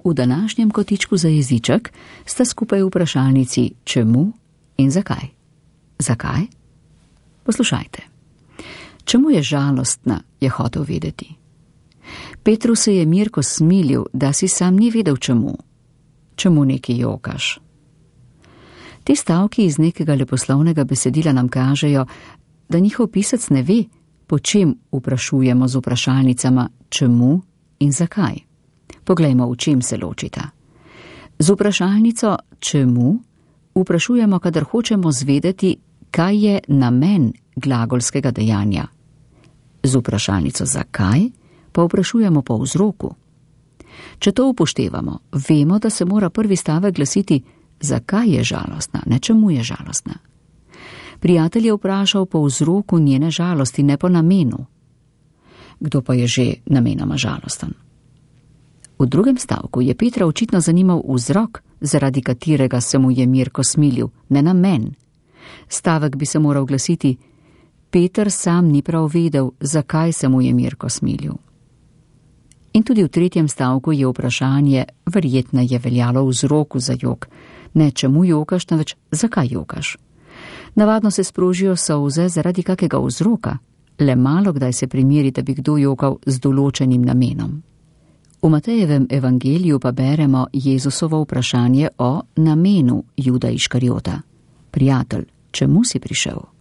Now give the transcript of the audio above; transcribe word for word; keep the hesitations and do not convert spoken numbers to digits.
V današnjem kotičku za jeziček sta skupaj vprašalnici čemu in zakaj. Zakaj? Poslušajte. Čemu je žalostna, je hotel vedeti. Petru se je Mirko smilil, da si sam ni vedel čemu. Čemu neki jokaš? Ti stavki iz nekega leposlovnega besedila nam kažejo, da njihov pisec ne ve, po čem vprašujemo z vprašalnicama čemu in zakaj. Poglejmo, v čem se ločita. Z vprašalnico čemu vprašujemo, kadar hočemo zvedeti, kaj je namen glagolskega dejanja. Z vprašalnico zakaj pa vprašujemo po vzroku. Če to upoštevamo, vemo, da se mora prvi stavek glasiti zakaj je žalostna, ne čemu je žalostna. Prijatelj je vprašal po vzroku njene žalosti, ne po namenu. Kdo pa je že namenoma žalosten? V drugem stavku je Petra očitno zanimal vzrok, zaradi katerega se mu je Mirko smilil, ne namen. Stavek bi se moral glasiti: Peter sam ni prav vedel, zakaj se mu je Mirko smilil. In tudi v tretjem stavku je vprašanje verjetno je veljalo vzroku za jok, ne čemu jokaš, temveč zakaj jokaš. Navadno se sprožijo solze zaradi kakega vzroka, le malo kdaj se primeri, da bi kdo jokal z določenim namenom. V Matejevem evangeliju pa beremo Jezusovo vprašanje o namenu Juda Iškariota. Prijatelj, čemu si prišel?